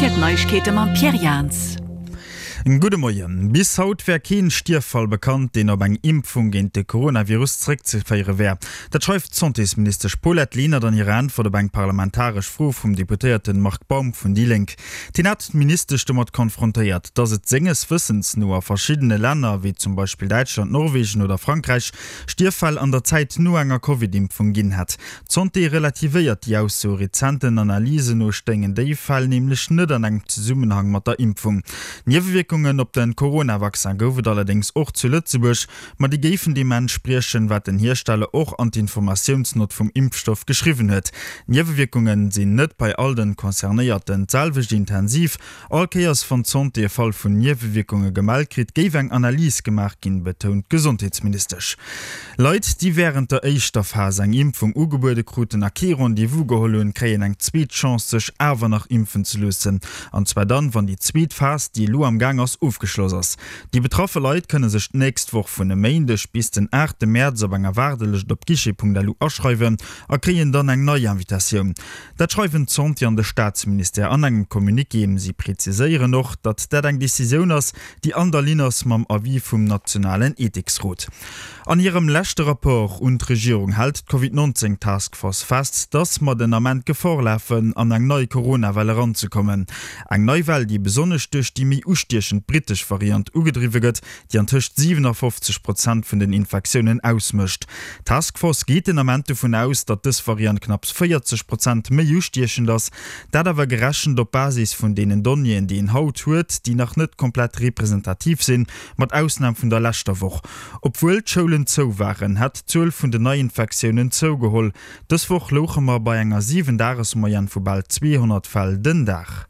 Rtl D'Neiegkeete mam Pierre Jahns. Gudde Moien. Bis haut wär keen Stierffall bekannt, deen op eng Impfung géint de Coronavirus zeréckzeféiere wär. Dat schreift d'Santésministesch Paulette Lenert an hirer Äntwert op eng parlamentaresch Fro vum Deputéierten Marc Baum vun déi Lénk. Deen hat d'Ministesch domat konfrontéiert, datt et senges Wëssens no a verschiddene Länner, wéi zum Beispill Däitschland, Norwegen oder Frankräich, Stierffäll an der Zäit no enger Covid-Impfung ginn hätt. D'Santé relativéiert déi Ausso. Rezenten Analysen no stéingen déi Fäll nämlech net an engem Zesummenhang mat der Impfung. Niewewierkungen op de Corona-Vaccin gouf et allerdéngs och zu Lëtzebuerg, ma déi géifen deem entspriechen, wat den Hiersteller och an d'Informatiounsnott vum Impfstoff geschriwwen huet. D'Niewewierkunge sinn net bei all de Concernéierten d'selwecht intensiv. All Kéiers wann d'Santé e Fall vun Niewewierkunge gemellt kritt, géif eng Analys gemaach ginn, betount d'Gesondheetsministesch. Leit, déi wärend der éischter Phas eng Impfung ugebuede kruten a kee Rendez-vous geholl hunn, kréien eng zweet Chance, sech awer nach impfen ze loossen. An zwar dann, wann déi zweet Phas, déi elo am Gaang ass, ofgeschloss ass. Déi betraffe Leit kënne sech d'nächst Woch vun e Méindeg bis den aachte Mäerz op enger Waardelëscht op guichet.lu aschreiwen a kréien dann eng nei Invitatioun. Dat schreiwen d'Santé an de Staatsministère an engem Communiqué. Si preziséieren och, datt dat eng Decisioun ass, déi an der Linn ass mam Avis vum nationalen Ethiksrot. An hirem leschte Rapport un d'Regierung hält d'Covid 19 Task Force fest, datt mer den Ament Gefor lafen, an eng nei Corona-Well eranzekommen. Eng nei Well, déi besonnesch duerch déi méi ustiechend brittesch Variant ugedriwwe gëtt, déi an tëscht 57 Prozent vun den Infektiounen ausmécht. D'Task Force geet den Ament dovun aus, datt dës Variant knapps 40 Prozent méi ustiechend ass. Dat awer gerechent op Basis vun deenen Donnéeën, déi een haut huet, déi nach net komplett representativ sinn, mat Ausnam vun der leschter Woch. Obwuel d'Schoulen zou waren, hätt d'Zuel vun den Neiinfektiounen zougeholl. Dës Woch louche mer bei enger 7 Dages-Moyenne vu bal 200 Fäll den Dag.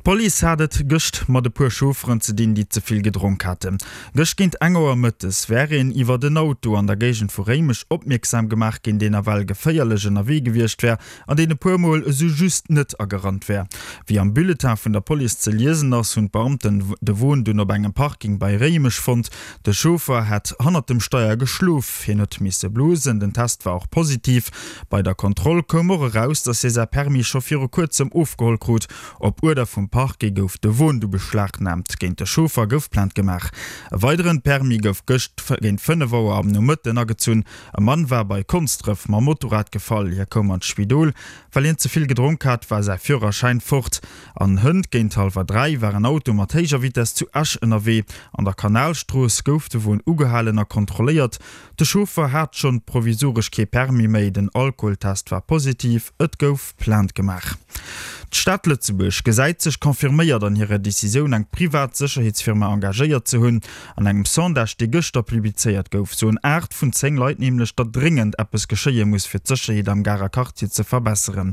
D'Police hat et gëscht mat e puer Chaufferen ze dinn, déi ze vill gedronk haten. Gëscht géint eng Auer mëttes wär een iwwert en Auto an der Géigend vu Réimech opmierksam gemaach ginn, deen nawell geféierlech ënnerwee gewiescht wär an deen e puer Mol esou just net agerannt wär. Wéi am Bulletin vun der Police ze liesen ass, hunn d'Beamten de Won dunn op engem Parking bei Réimech fonnt. De Chauffer hätt hannert dem Steier geschlof, hien huet misse blosen, den Test war och positiv. Bei der Kontroll koum och eraus, datt hie säi Permis scho viru kuerzem ofgeholl krut. Op Uerder vum Parquet gouf de Won du beschlagnaamt. Géint de Chauffer gouf Plainte gemaach. E weideren Permis gouf gëscht géint 5 Auer am Nomëtten agezunn. E Mann war bei Konsdref mam Motorrad gefall. Hie koum an d'Spidol. Well hien ze vill gedronk hat, war säi Führerschäin fort. An hënt géint hallwer 3 war en Auto mat héijer Vitess zu Esch ënnerwee. An der Kanalstrooss gouf de Won ugehalen a kontrolléiert. De Chauffer hat schonn provisoresch kee Permis méi, den Alkoholtest war positiv, et gouf Plainte gemaach. D'Stad Lëtzebuerg gesäit sech confirméiert an hirer Decisioun eng privat Sécherheetsfirma engagéiert ze hunn. An engem Sondage, dee gëschter publizéiert gouf, soen 8 vun 10 Leit nämlech, datt dréngend eppes geschéie muss, fir d'Sécherheet am Garer Quartier ze verbesseren.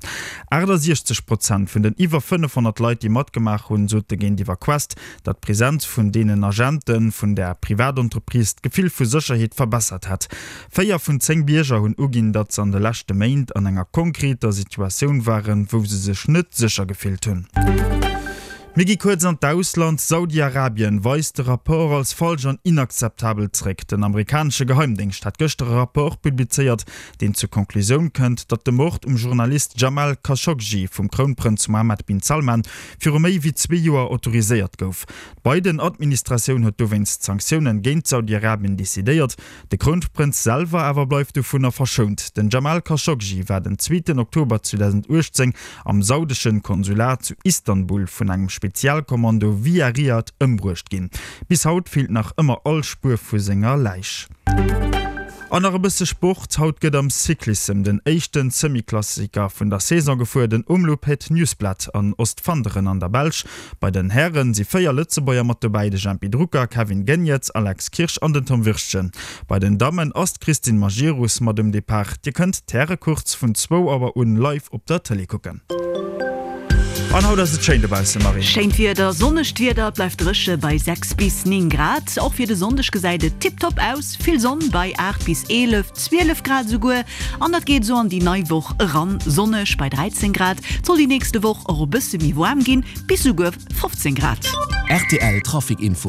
68 Prozent vun den iwwer 500 Leit, déi matgemaach hunn, sote géintiwwer Quest, datt d'Presenz vun deenen Agente vun där Privatentreprise d'Gefill vu Sécherheet verbessert hätt. Véier vun 10 Bierger hunn uginn, datt se an de leschte Méint an enger konkreter Situatioun waren, wou se sech net sécher gefillt hunn. Mir gi kuerz an d'Ausland, Saudi-Arabien weist de Rapport als falsch an inakzeptabel zréck. Den amerikanesche Geheimdéngscht hat gëschter e Rapport publizéiert, deen zur Conclusioun kënnt, datt de Mord um Journalist Jamal Khashoggi vum Krounprënz Mohammed bin Salman viru méi wéi zwee Joer autoriséiert gouf. D'Biden-Administratioun huet dowéinst Sanktiounen géint Saudi-Arabien decidéiert. De Krounprënz selwer awer bleift dovunner verschount. Den Jamal Khashoggi war den zweeten Oktober 2018 am saudeschen Konsulat zu Istanbul vun engem Spezialkommando via Riad ëmbruecht ginn. Bis haut feelt nach ëmmer all Spuer vu senger Läich. An nach e bësse Sport, Haut gëtt am Cyclissem den éischten Semi-Klassiker vun der Saison gefuer, den Omloop Het Nieuwsblad an Ostfanderen an der Belsch. Bei den Hären si 4 Lëtzebuerger mat dobäi, de Jempy Drucker, Kevin Geniets, Alex Kirsch an den Tom Wirtgen. Bei den Dammen ass d'Christine Majerus mat um Depart. Dir kënnt d'Härecourse vun zwou Auer un live op der Tëlee kucken. An haut ass et schéin dobaussen, Marie. Schéint Wieder, sonnegt Wieder, et bleift dréche bei 6 bis 9 Grad. Och fir de Sonndeg gesäit et tiptop aus, vill Sonn bei 8 bis 11, 12 Grad esouguer. An dat geet esou an déi nei Woch eran, sonneg bei 13 Grad. Et soll déi nächste Woch och e bësse méi waarm ginn, bis esouguer 15 Grad. Rtl Trafic Info.